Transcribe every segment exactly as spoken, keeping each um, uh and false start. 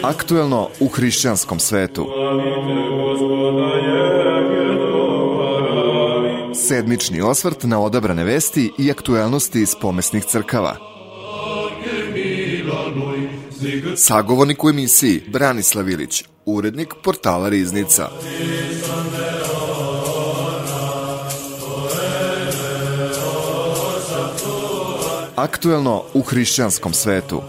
Aktuelno u hrišćanskom svetu. Sedmični osvrt na odabrane vesti i aktuelnosti iz pomesnih crkava. Sagovornik u emisiji Branislav Ilić, urednik portala Riznica. Aktuelno u hrišćanskom svetu.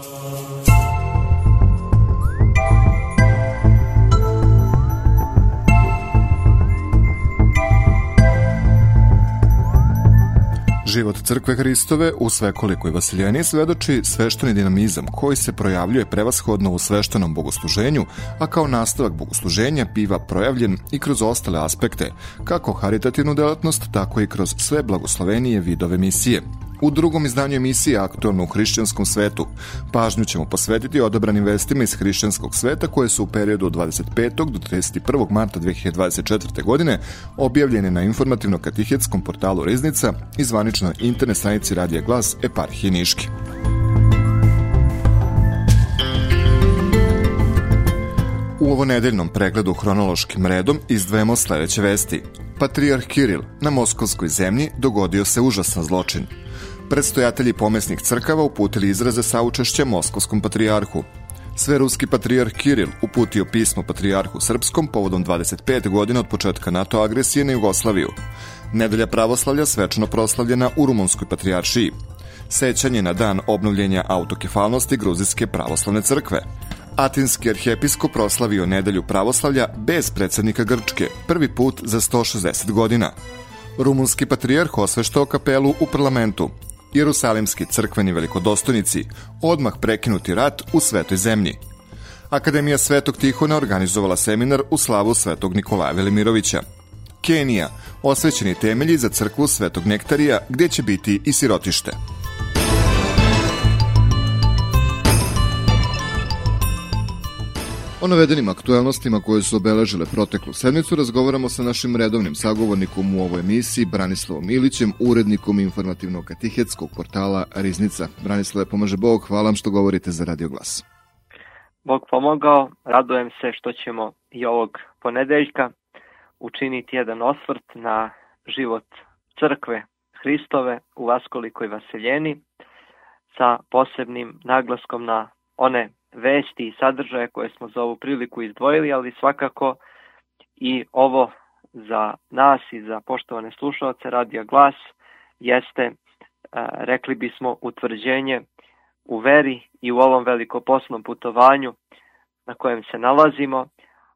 Život crkve Hristove u svekolikoj Vasiljeniji svedoči svešteni dinamizam koji se projavljuje prevashodno u sveštenom bogosluženju, a kao nastavak bogosluženja biva projavljen i kroz ostale aspekte, kako haritativnu delatnost, tako i kroz sve blagoslovenije vidove misije. U drugom izdanju emisije Aktuelno u hrišćanskom svetu pažnju ćemo posvetiti odabranim vestima iz hrišćanskog sveta koje su u periodu od dvadeset petog do trideset prvog marta dve hiljade dvadeset četvrte. godine objavljene na informativno-katihetskom portalu Riznica i zvaničnoj internet stranici Radija Glas Eparhije Niške. U ovonedeljnom pregledu hronološkim redom izdvajamo sledeće vesti. Patrijarh Kiril na Moskovskoj zemlji dogodio se užasan zločin. Predstojatelji pomesnih crkava uputili izraze saučešća Moskovskom patrijarhu. Sveruski patrijarh Kiril uputio pismo patrijarhu srpskom povodom dvadeset pet godina od početka NATO agresije na Jugoslaviju. Nedelja pravoslavlja svečano proslavljena u Rumunskoj patrijaršiji. Sećanje na dan obnovljenja autokefalnosti Gruzijske pravoslavne crkve. Atinski arhijepiskop proslavio nedelju pravoslavlja bez predsednika Grčke, prvi put za sto šezdeset godina. Rumunski patrijarh osveštao kapelu u parlamentu. Jerusalimski crkveni velikodostojnici, odmah prekinuti rat u Svetoj zemlji. Akademija Svetog Tihona organizovala seminar u slavu Svetog Nikolaja Velimirovića. Kenija, osvećeni temelji za crkvu Svetog Nektarija, gdje će biti i sirotište. O navedenim aktuelnostima koje su obeležile proteklu sedmicu razgovaramo sa našim redovnim sagovornikom u ovoj emisiji, Branislavom Ilićem, urednikom informativno-katihetskog portala Riznica. Branislave, pomaže Bog, hvala vam što govorite za Radio Glas. Bog pomogao, radujem se što ćemo i ovog ponedeljka učiniti jedan osvrt na život crkve Hristove u Vaskolikoj Vaseljeni sa posebnim naglaskom na one vesti i sadržaje koje smo za ovu priliku izdvojili, ali svakako i ovo za nas i za poštovane slušalce Radija Glas jeste, rekli bismo, utvrđenje u veri i u ovom velikoposnom putovanju na kojem se nalazimo,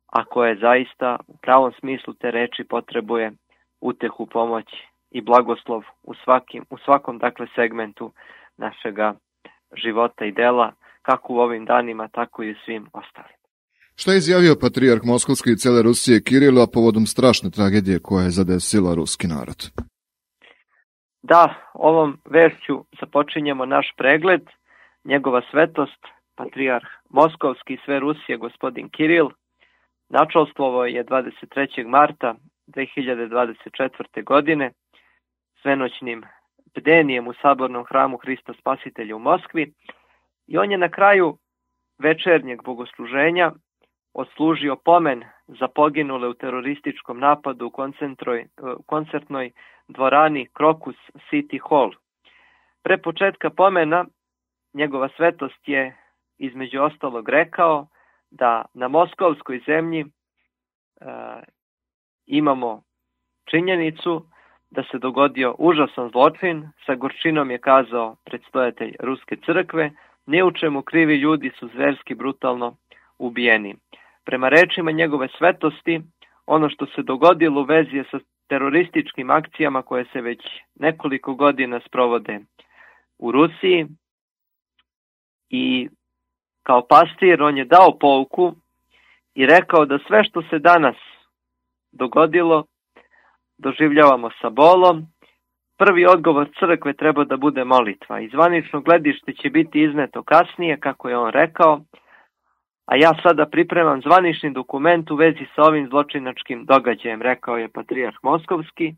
a koje zaista u pravom smislu te reči potrebuje utehu, pomoć i blagoslov u, svakim, u svakom dakle segmentu našega života i dela, kako u ovim danima, tako i u svim ostalim. Šta je izjavio patrijarh Moskovski i cele Rusije Kiril, a povodom strašne tragedije koja je zadesila ruski narod? Da, ovom vešću započinjemo naš pregled. Njegova svetost, patrijarh Moskovski i sve Rusije, gospodin Kiril, načelstvovo je dvadeset trećeg marta dve hiljade dvadeset četvrte. godine svenoćnim bdenijem u sabornom hramu Hrista Spasitelja u Moskvi. I on je na kraju večernjeg bogosluženja odslužio pomen za poginule u terorističkom napadu u koncertnoj dvorani Crocus City Hall. Pre početka pomena njegova svetost je između ostalog rekao da na moskovskoj zemlji e, imamo činjenicu da se dogodio užasan zločin, sa gorčinom je kazao predstojatelj Ruske crkve, ni u čemu krivi ljudi su zverski brutalno ubijeni. Prema rečima njegove svetosti, ono što se dogodilo u vezi je sa terorističkim akcijama koje se već nekoliko godina sprovode u Rusiji i kao pastir on je dao pouku i rekao da sve što se danas dogodilo doživljavamo sa bolom. Prvi odgovor crkve treba da bude molitva. I zvanično gledište će biti izneto kasnije, kako je on rekao, a ja sada pripremam zvanični dokument u vezi sa ovim zločinačkim događajem, rekao je patrijarh Moskovski,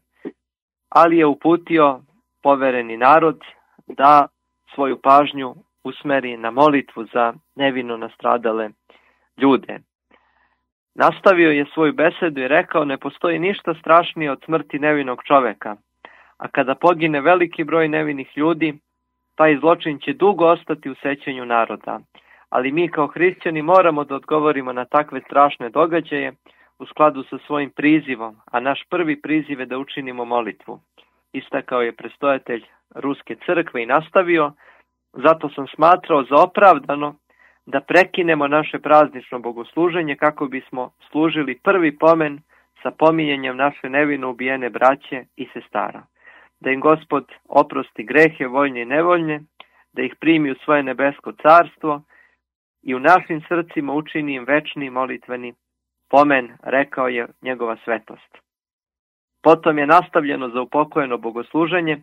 ali je uputio povereni narod da svoju pažnju usmeri na molitvu za nevino nastradale ljude. Nastavio je svoju besedu i rekao: ne postoji ništa strašnije od smrti nevinog čoveka, a kada pogine veliki broj nevinih ljudi, taj zločin će dugo ostati u sećanju naroda. Ali mi kao hrišćani moramo da odgovorimo na takve strašne događaje u skladu sa svojim prizivom, a naš prvi priziv je da učinimo molitvu. Istakao je predstojatelj Ruske crkve i nastavio: zato sam smatrao za opravdano da prekinemo naše praznično bogosluženje kako bismo služili prvi pomen sa pominjanjem naše nevino ubijene braće i sestara. Da im Gospod oprosti grehe voljne i nevoljne, da ih primi u svoje nebesko carstvo i u našim srcima učini im večni molitveni pomen, rekao je njegova svetost. Potom je nastavljeno za upokojeno bogosluženje,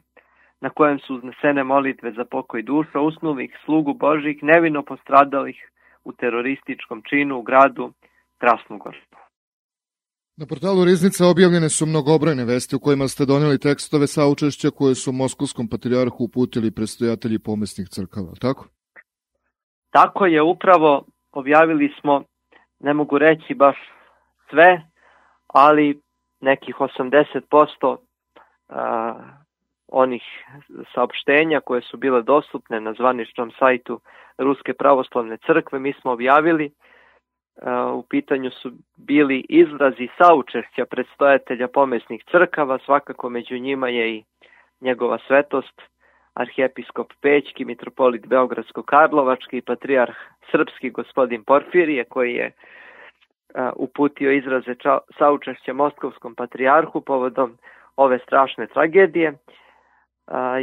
na kojem su uznesene molitve za pokoj duša usnulih slugu Božih nevino postradalih u terorističkom činu u gradu Krasnogorsko. Na portalu Riznica objavljene su mnogobrojne vesti u kojima ste doneli tekstove saučešća koje su Moskovskom patrijarhu uputili predstojatelji pomesnih crkava, tako? Tako je, upravo objavili smo, ne mogu reći baš sve, ali nekih osamdeset posto a, onih saopštenja koje su bile dostupne na zvaničnom sajtu Ruske pravoslavne crkve mi smo objavili. U pitanju su bili izrazi saučešća predstojatelja pomesnih crkava, svakako među njima je i njegova svetost, arhijepiskop Pećki, mitropolit Beogradsko-Karlovački i patrijarh srpski gospodin Porfirije, koji je uputio izraze saučešća moskovskom patrijarhu povodom ove strašne tragedije.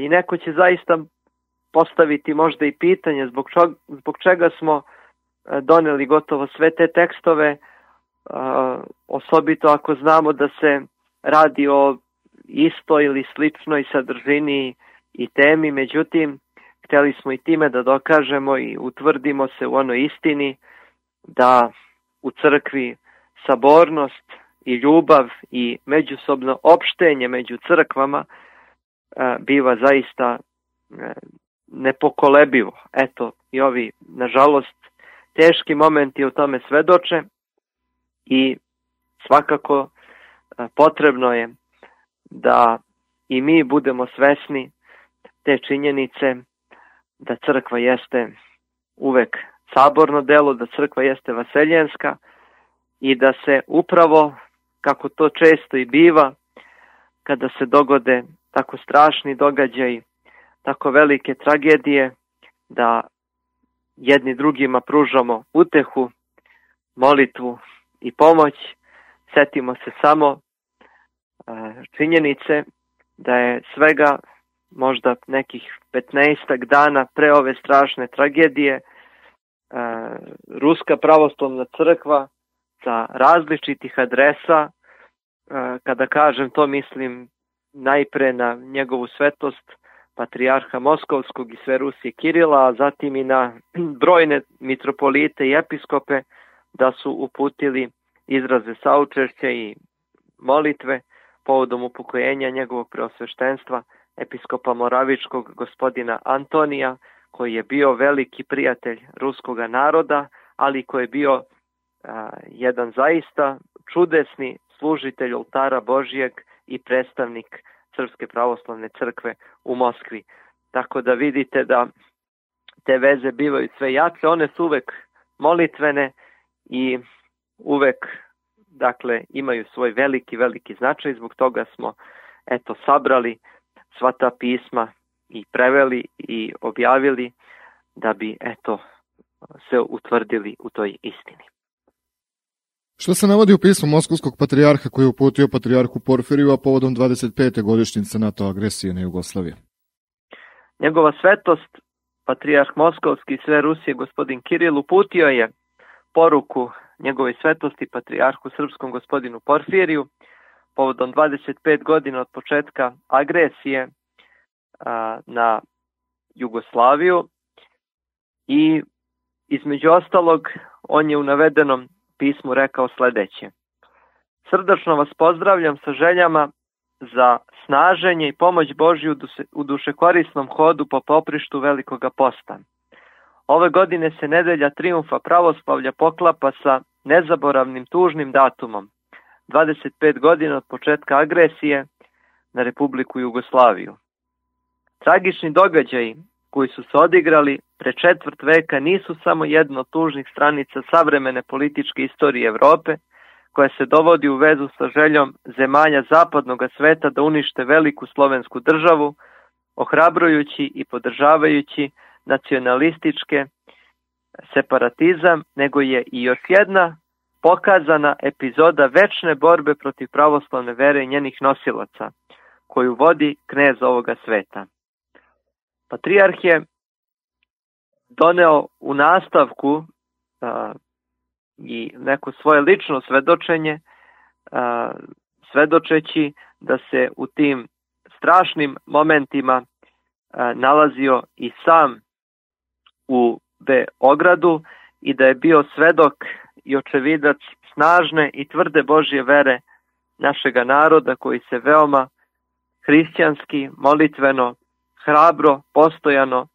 I neko će zaista postaviti možda i pitanje zbog, čo, zbog čega smo doneli gotovo sve te tekstove, osobito ako znamo da se radi o istoj ili sličnoj sadržini i temi. Međutim, htjeli smo i time da dokažemo i utvrdimo se u onoj istini da u crkvi sabornost i ljubav i međusobno opštenje među crkvama biva zaista nepokolebivo. Eto, i ovi, nažalost, teški momenti o tome svedoče i svakako potrebno je da i mi budemo svesni te činjenice da crkva jeste uvek saborno delo, da crkva jeste vaseljenska i da se upravo, kako to često i biva, kada se dogode tako strašni događaji, tako velike tragedije, da jedni drugima pružamo utehu, molitvu i pomoć. Setimo se samo činjenice da je svega možda nekih petnaestak dana pre ove strašne tragedije Ruska pravoslavna crkva sa različitih adresa, kada kažem to mislim najpre na njegovu svetost patrijarha Moskovskog i sve Rusije Kirila, a zatim i na brojne mitropolite i episkope, da su uputili izraze saučešća i molitve povodom upokojenja njegovog preosveštenstva episkopa Moravičkog gospodina Antonija, koji je bio veliki prijatelj ruskog naroda, ali koji je bio a, jedan zaista čudesni služitelj oltara Božijeg i predstavnik Srpske pravoslavne crkve u Moskvi. Tako da vidite da te veze bivaju sve jače, one su uvek molitvene i uvek, dakle, imaju svoj veliki, veliki značaj. Zbog toga smo, eto, sabrali sva ta pisma i preveli i objavili da bi, eto, se utvrdili u toj istini. Što se navodi u pismu Moskovskog patrijarha koji je uputio patrijarhu Porfiriju, a povodom dvadeset pete godišnjice NATO agresije na Jugoslaviju? Njegova svetost, patrijarh Moskovski i sve Rusije gospodin Kiril, uputio je poruku njegove svetosti patrijarhu srpskom gospodinu Porfiriju povodom dvadeset pet godina od početka agresije a, na Jugoslaviju i između ostalog on je u navedenom pismu rekao sljedeće: srdačno vas pozdravljam sa željama za snaženje i pomoć Božju u dušekorisnom hodu po poprištu Velikoga posta. Ove godine se nedelja trijumfa pravoslavlja poklapa sa nezaboravnim tužnim datumom, dvadeset pet godina od početka agresije na Republiku Jugoslaviju. Tragični događaji koji su se odigrali pre četvrt veka nisu samo jedna od tužnih stranica savremene političke istorije Evrope, koja se dovodi u vezu sa željom zemalja zapadnog sveta da unište veliku slovensku državu, ohrabrujući i podržavajući nacionalističke separatizam, nego je i još jedna pokazana epizoda večne borbe protiv pravoslavne vere i njenih nosilaca, koju vodi knez ovoga sveta. Patrijarh je doneo u nastavku a, i neko svoje lično svedočenje, a, svedočeći da se u tim strašnim momentima a, nalazio i sam u Beogradu i da je bio svedok i očevidac snažne i tvrde Božje vere našega naroda, koji se veoma hrišćanski, molitveno, hrabro, postojano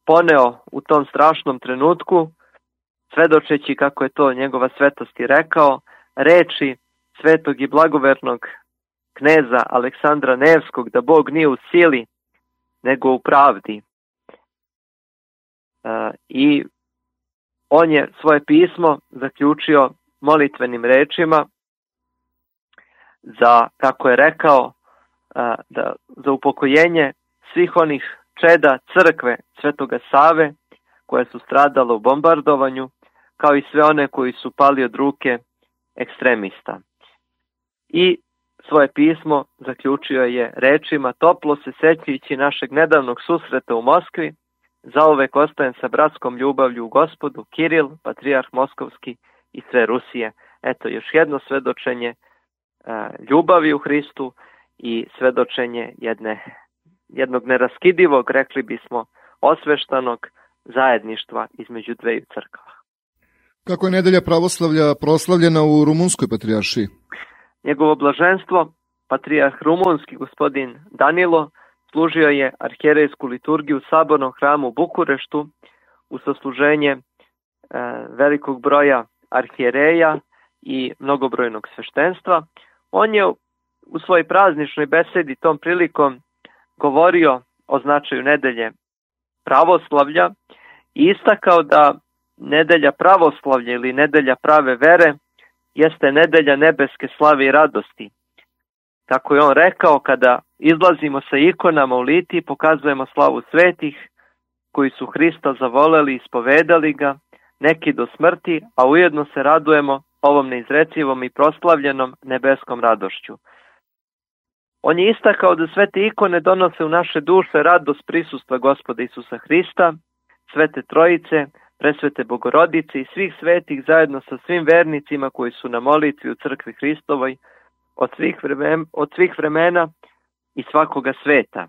poneo u tom strašnom trenutku, svedočeći, kako je to njegova svetost i rekao, reči svetog i blagovernog kneza Aleksandra Nevskog, da Bog nije u sili, nego u pravdi. E, I on je svoje pismo zaključio molitvenim rečima za, kako je rekao, e, da, za upokojenje svih onih čeda crkve Svetoga Save koje su stradale u bombardovanju, kao i sve one koji su pali od ruke ekstremista. I svoje pismo zaključio je rečima: toplo se sećajući našeg nedavnog susreta u Moskvi, zauvek ostajem sa bratskom ljubavlju u Gospodu, Kiril, patrijarh Moskovski i sve Rusije. Eto, još jedno svedočenje uh, ljubavi u Hristu i svedočenje jedne, jednog neraskidivog, rekli bismo, osveštanog zajedništva između dveju crkava. Kako je nedelja pravoslavlja proslavljena u Rumunskoj patrijaršiji? Njegovo blaženstvo, patrijarh rumunski gospodin Danilo, služio je arhijerejsku liturgiju u sabornom hramu u Bukureštu u sasluženje e, velikog broja arhijereja i mnogobrojnog sveštenstva. On je u svojoj prazničnoj besedi tom prilikom govorio o značaju nedelje pravoslavlja i istakao da nedelja pravoslavlja ili nedelja prave vere jeste nedelja nebeske slave i radosti. Kako je on rekao, kada izlazimo sa ikonama u litiji, pokazujemo slavu svetih koji su Hrista zavoleli i ispovedali ga, neki do smrti, a ujedno se radujemo ovom neizrecivom i proslavljenom nebeskom radošću. On je istakao da sve te ikone donose u naše duše radost prisustva Gospoda Isusa Hrista, Svete Trojice, Presvete Bogorodice i svih svetih zajedno sa svim vernicima koji su na molitvi u crkvi Hristovoj od svih vremena, od svih vremena i svakoga sveta.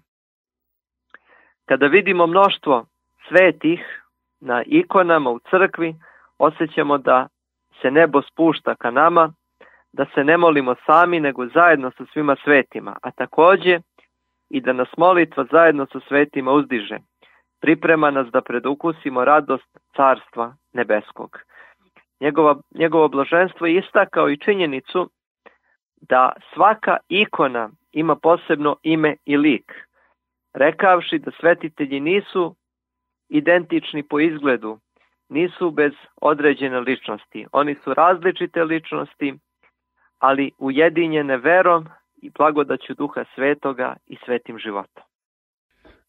Kada vidimo mnoštvo svetih na ikonama u crkvi, osjećamo da se nebo spušta ka nama, da se ne molimo sami, nego zajedno sa svima svetima, a također i da nas molitva zajedno sa svetima uzdiže. Priprema nas da predukusimo radost carstva nebeskog. Njegova, njegovo blaženstvo je istakao i činjenicu da svaka ikona ima posebno ime i lik, rekavši da svetitelji nisu identični po izgledu, nisu bez određene ličnosti. Oni su različite ličnosti, ali ujedinjene verom i blagodaću Duha Svetoga i svetim životom.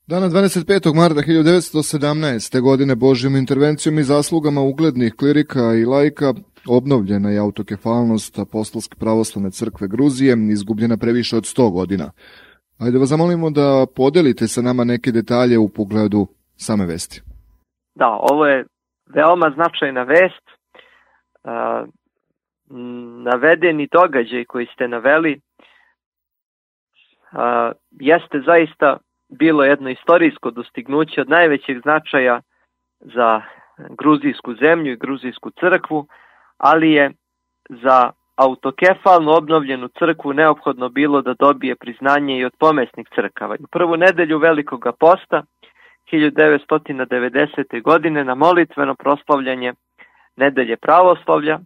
Dana dvadeset petog marta hiljadu devetsto sedamnaeste. godine Božjom intervencijom i zaslugama uglednih klirika i laika obnovljena je autokefalnost Apostolske pravoslavne crkve Gruzije, izgubljena previše od sto godina. Ajde vas zamolimo da podelite sa nama neke detalje u pogledu same vesti. Da, ovo je veoma značajna vest. Uh, navedeni događaj koji ste naveli uh, jeste zaista bilo jedno istorijsko dostignuće od najvećeg značaja za gruzijsku zemlju i gruzijsku crkvu, ali je za autokefalno obnovljenu crkvu neophodno bilo da dobije priznanje i od pomesnih crkava. U prvu nedelju Velikoga posta hiljadu devetsto devedesete. godine na molitveno proslavljanje nedelje pravoslavlja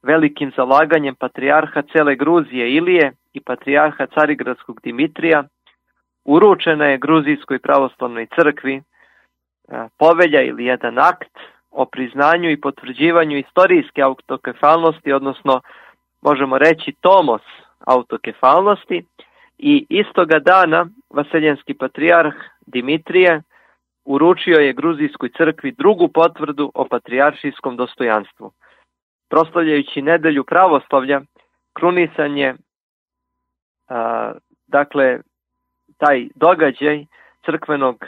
velikim zalaganjem patrijarha cele Gruzije Ilije i patrijarha Carigradskog Dimitrija uručena je Gruzijskoj pravoslavnoj crkvi povelja ili jedan akt o priznanju i potvrđivanju istorijske autokefalnosti, odnosno možemo reći tomos autokefalnosti, i istoga dana vaseljenski patrijarh Dimitrije uručio je Gruzijskoj crkvi drugu potvrdu o patrijaršijskom dostojanstvu. Proslavljajući nedelju pravoslavlja, krunisan je a, dakle taj događaj crkvenog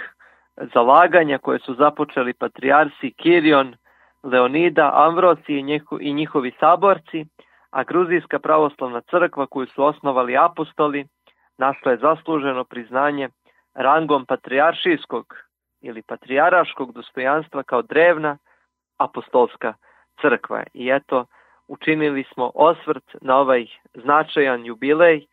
zalaganja koje su započeli patrijarsi Kirion, Leonida, Amvrosij i, njiho, i njihovi saborci, a Gruzijska pravoslavna crkva koju su osnovali apostoli našla je zasluženo priznanje rangom patrijaršijskog ili patrijaraškog dostojanstva kao drevna apostolska crkva. I eto, učinili smo osvrt na ovaj značajan jubilej,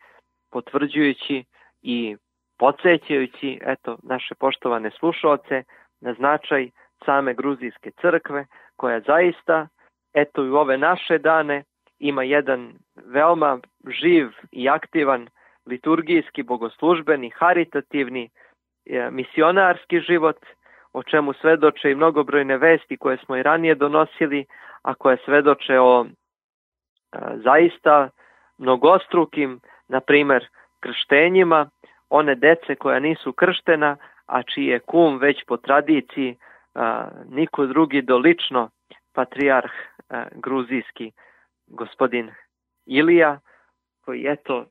potvrđujući i podsjećajući eto naše poštovane slušaoce na značaj same Gruzijske crkve, koja zaista eto i u ove naše dane ima jedan veoma živ i aktivan liturgijski, bogoslužbeni, haritativni, misionarski život, o čemu svedoče i mnogobrojne vesti koje smo i ranije donosili, a koje svedoče o a, zaista mnogostrukim, na primer, krštenjima one dece koja nisu krštena, a čiji je kum već po tradiciji a, niko drugi do lično patrijarh a, gruzijski gospodin Ilija, koji eto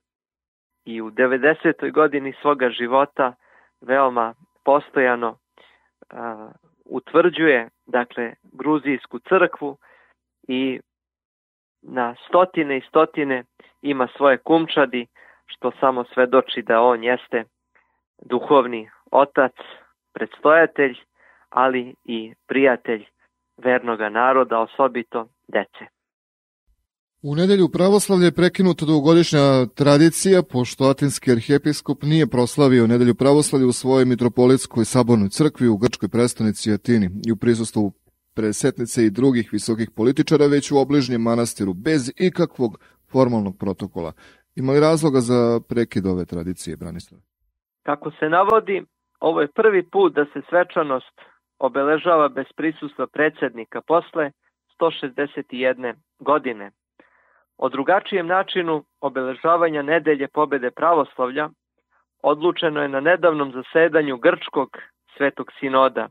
i u devedesetoj godini svoga života veoma postojano a, utvrđuje dakle Gruzijsku crkvu i na stotine i stotine ima svoje kumčadi, što samo svedoči da on jeste duhovni otac, predstojatelj, ali i prijatelj vernoga naroda, osobito dece. U nedelju pravoslavlja je prekinuta dugogodišnja tradicija, pošto atinski arhijepiskop nije proslavio nedelju pravoslavlja u svojoj mitropolitskoj sabornoj crkvi u grčkoj prestonici Atini i u prisustvu presetnice i drugih visokih političara, već u obližnjem manastiru, bez ikakvog formalnog protokola. Ima li razloga za prekid ove tradicije, Branislav? Kako se navodi, ovo je prvi put da se svečanost obeležava bez prisustva predsjednika posle sto šezdeset jedne godine. O drugačijem načinu obeležavanja nedelje pobede pravoslavlja odlučeno je na nedavnom zasedanju Grčkog svetog sinoda.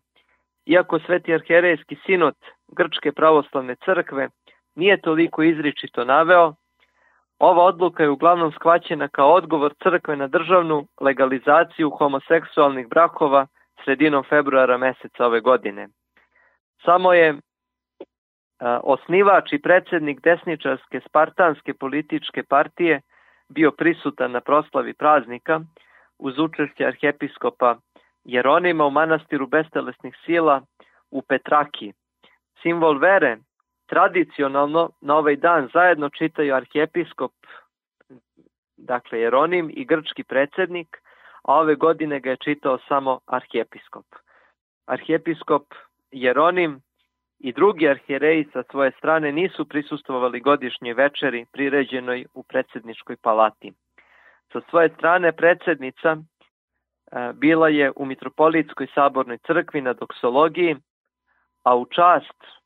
Iako Sveti arhijerejski sinod Grčke pravoslavne crkve nije toliko izričito naveo, ova odluka je uglavnom shvaćena kao odgovor crkve na državnu legalizaciju homoseksualnih brakova sredinom februara meseca ove godine. Samo je a, osnivač i predsjednik desničarske spartanske političke partije bio prisutan na proslavi praznika uz učešće arhijepiskopa Jeronima u manastiru bestelesnih sila u Petraki. Simbol vere tradicionalno na ovaj dan zajedno čitaju arhijepiskop, dakle Jeronim, i grčki predsjednik, a ove godine ga je čitao samo arhijepiskop. Arhijepiskop Jeronim i drugi arhijereji sa svoje strane nisu prisustvovali godišnjoj večeri priređenoj u predsjedničkoj palati. Sa svoje strane predsjednica bila je u mitropolitskoj sabornoj crkvi na doksologiji, a u čast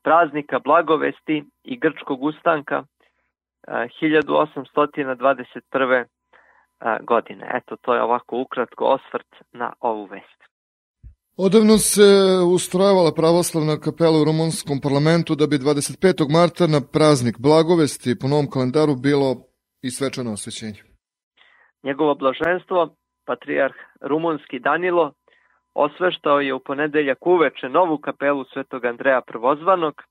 praznika Blagovesti i Grčkog ustanka hiljadu osamsto dvadeset prve. godine. Eto, to je ovako ukratko osvrt na ovu vest. Odavno se ustrojavala pravoslavna kapela u rumunskom parlamentu da bi dvadeset petog marta na praznik Blagovesti po novom kalendaru bilo i svečano osvećenje. Njegovo blaženstvo, patrijarh rumunski Danilo, osveštao je u ponedeljak uveče novu kapelu Svetog Andreja Prvozvanog.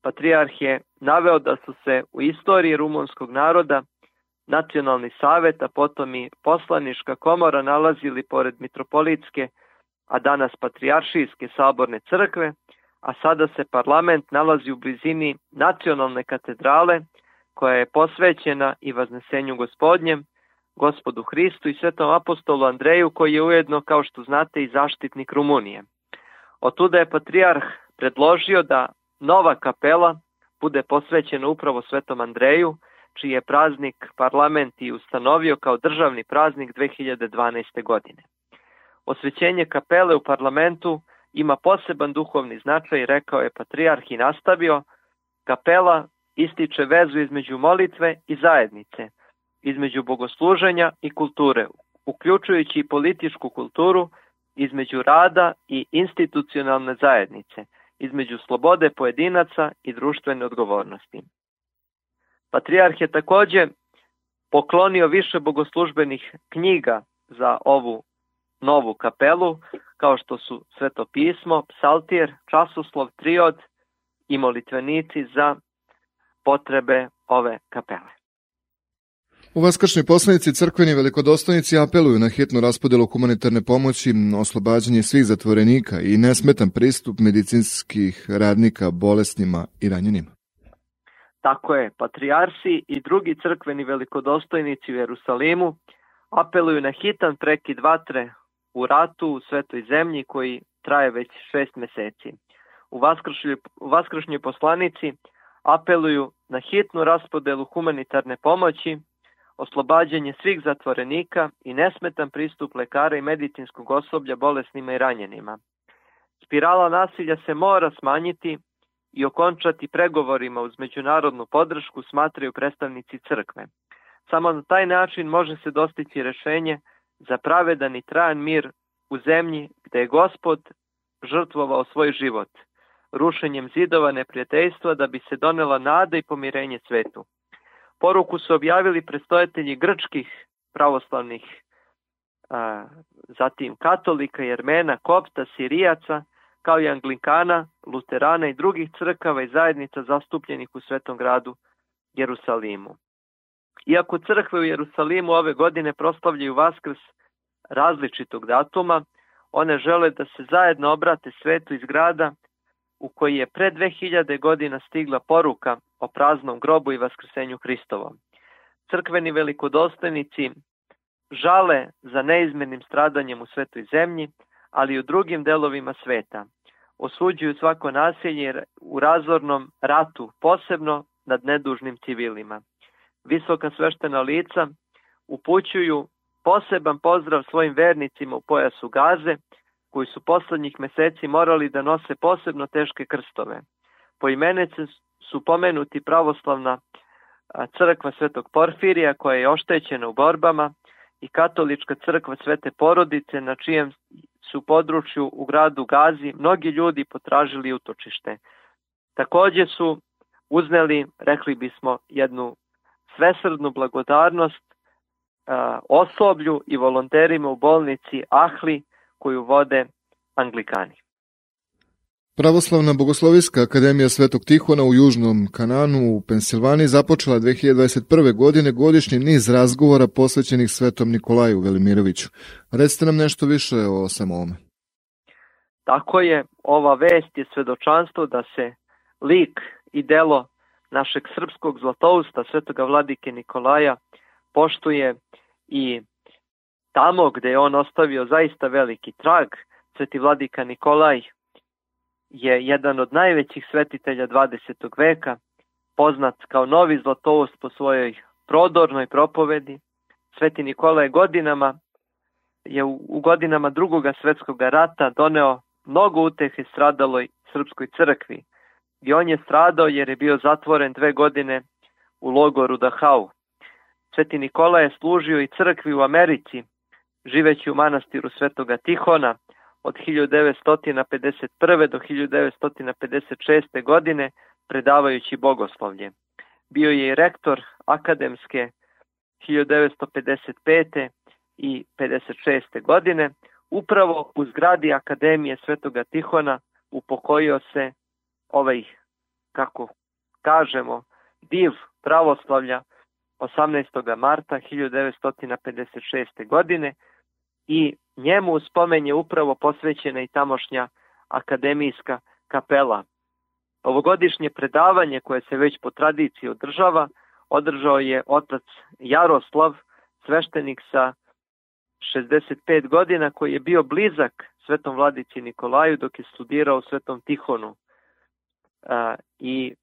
Patrijarh je naveo da su se u istoriji rumunskog naroda Nacionalni savet, a potom i poslanička komora nalazili pored mitropolitske, a danas patrijaršijske saborne crkve, a sada se parlament nalazi u blizini nacionalne katedrale koja je posvećena i Vaznesenju Gospodnjem, Gospodu Hristu i Svetom apostolu Andreju, koji je ujedno, kao što znate, i zaštitnik Rumunije. Otuda je patrijarh predložio da nova kapela bude posvećena upravo Svetom Andreju, čiji je praznik parlament i ustanovio kao državni praznik dve hiljade dvanaeste. godine. Osvećenje kapele u parlamentu ima poseban duhovni značaj, rekao je patrijarh i nastavio. Kapela ističe vezu između molitve i zajednice, između bogosluženja i kulture, uključujući i političku kulturu, između rada i institucionalne zajednice, između slobode pojedinaca i društvene odgovornosti. Patrijarh je također poklonio više bogoslužbenih knjiga za ovu novu kapelu, kao što su Sveto pismo, psaltir, časoslov, triod i molitvenici za potrebe ove kapele. U vaskršnjoj poslanici crkveni velikodostojnici apeluju na hitnu raspodelu humanitarne pomoći, oslobađanje svih zatvorenika i nesmetan pristup medicinskih radnika bolesnima i ranjenima. Tako je, patrijarsi i drugi crkveni velikodostojnici u Jerusalimu apeluju na hitan prekid vatre u ratu u Svetoj zemlji koji traje već šest meseci. U vaskršnjoj, u vaskršnjoj poslanici apeluju na hitnu raspodelu humanitarne pomoći, oslobađanje svih zatvorenika i nesmetan pristup lekara i medicinskog osoblja bolesnima i ranjenima. Spirala nasilja se mora smanjiti i okončati pregovorima uz međunarodnu podršku, smatraju predstavnici crkve. Samo na taj način može se dostići rešenje za pravedan i trajan mir u zemlji gde je Gospod žrtvovao svoj život, rušenjem zidova neprijateljstva da bi se donela nada i pomirenje svetu. Poruku su objavili predstojatelji grčkih pravoslavnih, a, zatim katolika, jermena, kopta, sirijaca, kao i anglikana, luterana i drugih crkava i zajednica zastupljenih u Svetom gradu Jerusalimu. Iako crkve u Jerusalimu ove godine proslavljaju Vaskrs različitog datuma, one žele da se zajedno obrate svetu iz grada u koji je pre dve hiljade godina stigla poruka o praznom grobu i vaskrsenju Hristovom. Crkveni velikodostojnici žale za neizmernim stradanjem u Svetoj zemlji, ali i u drugim delovima sveta. Osuđuju svako nasilje u razornom ratu, posebno nad nedužnim civilima. Visoka sveštena lica upućuju poseban pozdrav svojim vernicima u pojasu Gaze, koji su poslednjih meseci morali da nose posebno teške krstove. Poimenice su pomenuti pravoslavna crkva Svetog Porfirija, koja je oštećena u borbama, i katolička crkva Svete Porodice, na čijem su području u gradu Gazi mnogi ljudi potražili utočište. Također su uzneli, rekli bismo, jednu svesrdnu blagodarnost a, osoblju i volonterima u bolnici Ahli, koju vode Anglikani. Pravoslavna bogoslovijska akademija Svetog Tihona u Južnom Kananu u Pensilvaniji započela dve hiljade dvadeset prve. godine godišnji niz razgovora posvećenih Svetom Nikolaju Velimiroviću. Recite nam nešto više o samo ovome. Tako je, ova vest je svedočanstvo da se lik i delo našeg srpskog zlatousta Svetoga vladike Nikolaja poštuje i tamo gde je on ostavio zaista veliki trag. Sveti vladika Nikolaj je jedan od najvećih svetitelja dvadesetog veka, poznat kao novi zlatoust po svojoj prodornoj propovedi. Sveti Nikolaj godinama je u, u godinama Drugog svjetskog rata doneo mnogo utehe stradaloj srpskoj crkvi. I on je stradao jer je bio zatvoren dve godine u logoru Dachau. Sveti Nikolaj je služio i crkvi u Americi, živeći u manastiru Svetoga Tihona od hiljadu devetsto pedeset prve. do hiljadu devetsto pedeset šeste. godine, predavajući bogoslovlje. Bio je i rektor akademske hiljadu devetsto pedeset pete. i pedeset šeste. godine. Upravo u zgradi Akademije Svetoga Tihona upokojio se ovaj, kako kažemo, div pravoslavlja osamnaestog marta hiljadu devetsto pedeset šeste. godine i njemu u spomen je upravo posvećena i tamošnja akademijska kapela. Ovogodišnje predavanje koje se već po tradiciji održava, održao je otac Jaroslav, sveštenik sa šezdeset pet godina, koji je bio blizak svetom vladici Nikolaju dok je studirao u Svetom Tihonu. A, I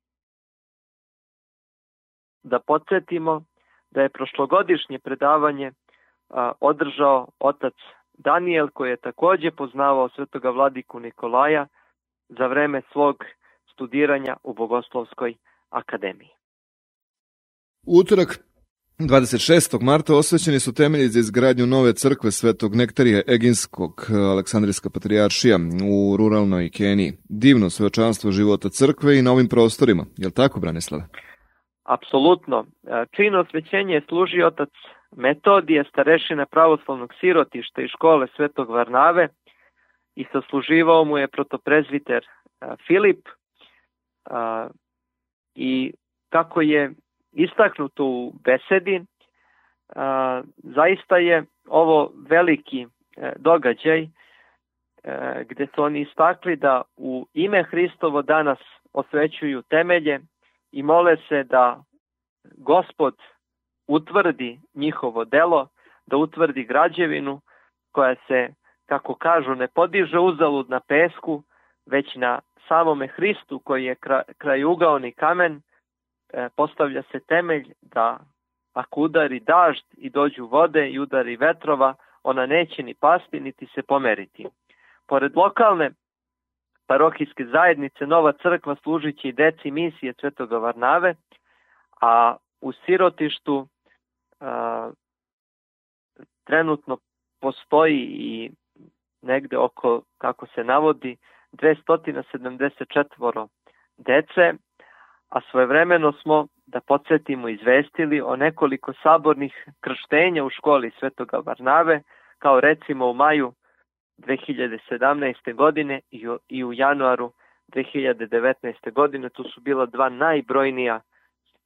da podsjetimo da je prošlogodišnje predavanje a, održao otac Danijel, koji je također poznavao svetoga vladiku Nikolaja za vreme svog studiranja u Bogoslovskoj akademiji. U utorak dvadeset šestog marta osvećeni su temelji za izgradnju nove crkve Svetog Nektarija Eginskog, Aleksandrijska patrijaršija u ruralnoj Keniji. Divno svedočanstvo života crkve i na ovim prostorima. Je li tako, Branislave? Apsolutno. Čin osvećenja je služio otac Metodije, starešina pravoslavnog sirotišta i škole Svetog Varnave, i sasluživao mu je protoprezviter Filip. I kako je istaknuto u besedi, zaista je ovo veliki događaj gdje su oni istakli da u ime Hristovo danas osvećuju temelje i mole se da Gospod utvrdi njihovo delo, da utvrdi građevinu koja se, kako kažu, ne podiže uzalud na pesku, već na samome Hristu koji je krajugaoni kamen. Postavlja se temelj da ako udari dažd i dođu vode i udari vetrova, ona neće ni pasti niti se pomeriti. Pored lokalne parohijske zajednice, nova crkva služit će i deci misije Svetoga Varnave, a u sirotištu a, trenutno postoji i negde oko, kako se navodi, dvesta sedamdeset četiri dece, a svojevremeno smo, da podsjetimo, izvestili o nekoliko sabornih krštenja u školi Svetoga Varnave, kao recimo u maju dve hiljade sedamnaeste. godine i u, i u januaru dve hiljade devetnaeste. godine. Tu su bila dva najbrojnija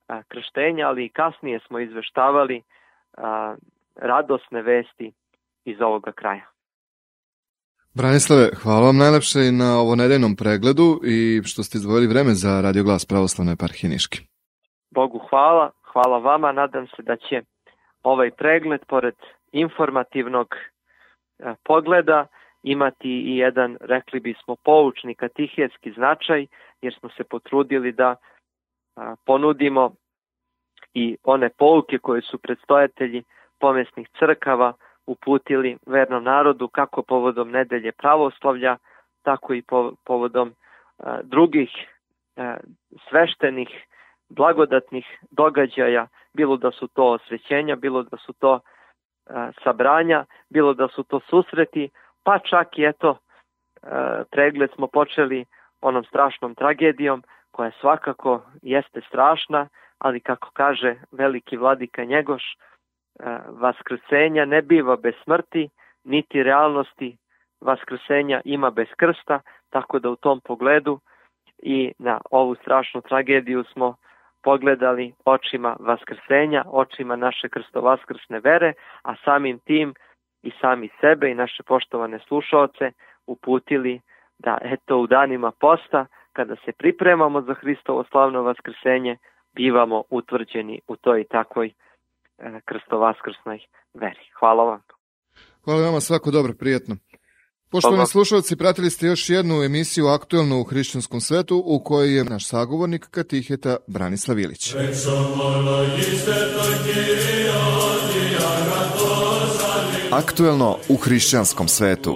a, krštenja, ali i kasnije smo izveštavali a, radosne vesti iz ovoga kraja. Branislave, hvala vam najlepše i na ovo nedeljnom pregledu i što ste izdvojili vreme za Radio Glas Pravoslavne eparhije Niške. Bogu hvala, hvala vama. Nadam se da će ovaj pregled, pored informativnog eh, pogleda, imati i jedan, rekli bismo, poučni katehetski značaj, jer smo se potrudili da a, ponudimo i one pouke koje su predstojatelji pomesnih crkava uputili vernom narodu, kako povodom nedelje pravoslavlja, tako i po, povodom a, drugih a, sveštenih, blagodatnih događaja, bilo da su to osvećenja, bilo da su to a, sabranja, bilo da su to susreti, pa čak i eto, a, pregled smo počeli onom strašnom tragedijom, koja svakako jeste strašna, ali kako kaže veliki vladika Njegoš, vaskrsenja ne biva bez smrti, niti realnosti vaskrsenja ima bez krsta, tako da u tom pogledu i na ovu strašnu tragediju smo pogledali očima vaskrsenja, očima naše krstovaskrsne vere, a samim tim i sami sebe i naše poštovane slušaoce uputili da eto u danima posta, kada se pripremamo za Hristovo slavno vaskrsenje, bivamo utvrđeni u toj takvoj krstovaskrsnoj veri. Hvala vam. Hvala vama, svako dobro, prijetno. Poštovani slušalci, pratili ste još jednu emisiju Aktuelno u hrišćanskom svetu, u kojoj je naš sagovornik katiheta Branislav Ilić. Aktuelno u hrišćanskom svetu.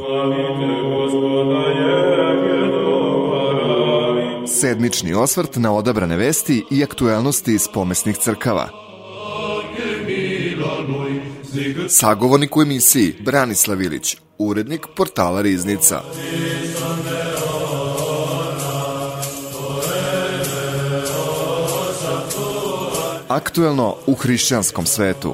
Sedmični osvrt na odabrane vesti i aktuelnosti iz pomesnih crkava. Sagovornik u emisiji Branislav Ilić, urednik portala Riznica. Aktuelno u hrišćanskom svetu.